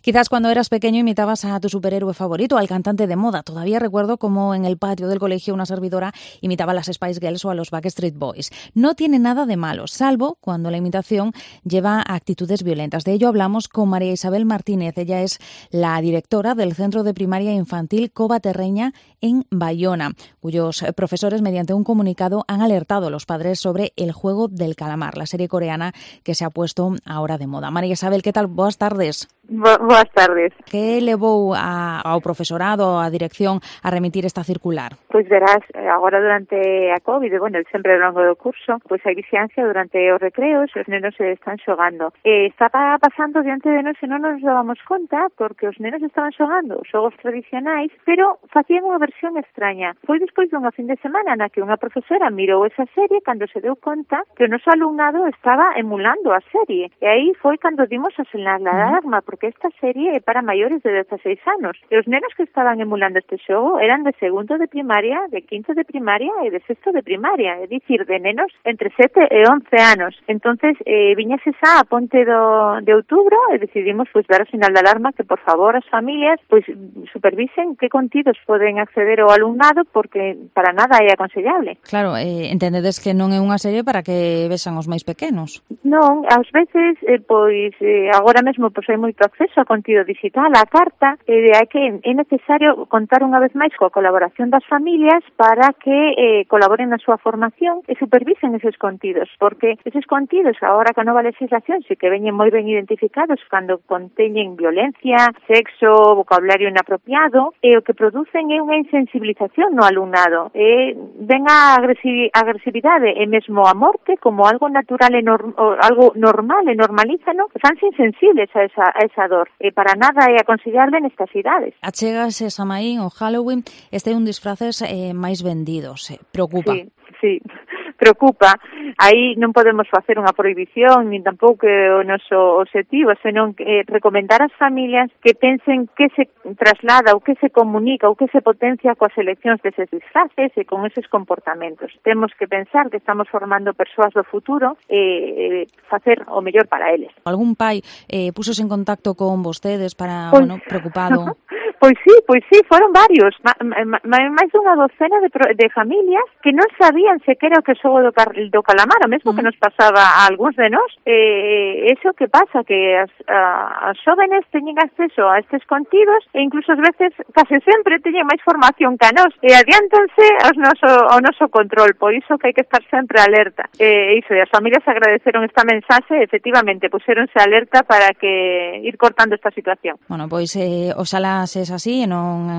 Quizás cuando eras pequeño imitabas a tu superhéroe favorito, al cantante de moda. Todavía recuerdo cómo en el patio del colegio una servidora imitaba a las Spice Girls o a los Backstreet Boys. No tiene nada de malo, salvo cuando la imitación lleva a actitudes violentas. De ello hablamos con María Isabel Martínez. Ella es la directora del Centro de Primaria Infantil Cova Terreña en Bayona, cuyos profesores, mediante un comunicado, han alertado a los padres sobre El juego del calamar, la serie coreana que se ha puesto ahora de moda. María Isabel, ¿qué tal? Boas tardes. Boas tardes. Que levou ao profesorado, á dirección, a remitir esta circular? Pois verás, agora durante a COVID, sempre ao longo do curso, pois hai vixiancia durante os recreos, os nenos se están xogando. Estaba pasando diante de nós e non nos dábamos conta, porque os nenos estaban xogando os xogos tradicionais, pero facían unha versión extraña. Foi despois dunha fin de semana na que unha profesora mirou esa serie cando se deu conta que o noso alumnado estaba emulando a serie. E aí foi cando dimos a señal de alarma, porque esta serie é para maiores de 16 anos. E os nenos que estaban emulando este xogo eran de segundo de primaria, de quinto de primaria e de sexto de primaria, é dicir, de nenos entre 7 e 11 anos. Entonces, viñase xa a ponte de outubro e decidimos dar a sinal de alarma que, por favor, as familias supervisen que contidos poden acceder ao alumnado, porque para nada é aconsellable. Claro, entendedes que non é unha serie para que vexan os máis pequenos. Non, ás veces, agora mesmo hai moito acceso a contido digital, a carta, e hai que é necesario contar unha vez máis coa colaboración das familias para que colaboren na súa formación e supervisen eses contidos, porque eses contidos, agora con a nova legislación, sí que veñen moi ben identificados cando conteñen violencia, sexo, vocabulario inapropiado, e o que producen é unha insensibilización no alumnado, e ven a agresividade e mesmo a morte como algo natural e algo normal e normalízano, fanse insensibles a esa dor. E para nada é aconsellable nestas idades. Achegase Samaín o Halloween, este é un disfraces máis vendidos. Preocupa? Sí, preocupa. Aí non podemos facer unha prohibición, nin tampouco o noso objetivo, senón recomendar ás familias que pensen que se traslada ou que se comunica ou que se potencia coas eleccións deses disfraces e con eses comportamentos. Temos que pensar que estamos formando persoas do futuro e facer o mellor para eles. Algún pai púxose en contacto con vostedes para, preocupado? Pois sí, foron varios, máis dunha docena de familias que non sabían sequera o que xogo do calamar, o mesmo que nos pasaba a algúns de nós. Eso que pasa, que as xóvenes teñen acceso a estes contidos e incluso ás veces, case sempre, teñen máis formación que a nós e adiántanse ao noso control, por iso que hai que estar sempre alerta. E as familias agradeceron esta mensaxe, efectivamente, puxéronse alerta para que ir cortando esta situación. Bueno, pois oxalá se así e non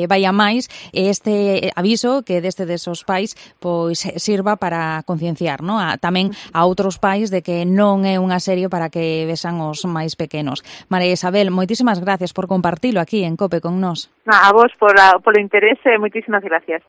vai a máis, este aviso que deste desos pais pois sirva para concienciar, non? Tamén a outros pais de que non é unha serie para que vexan os máis pequenos. María Isabel, moitísimas gracias por compartilo aquí en COPE con nós. A vos polo interese, moitísimas gracias.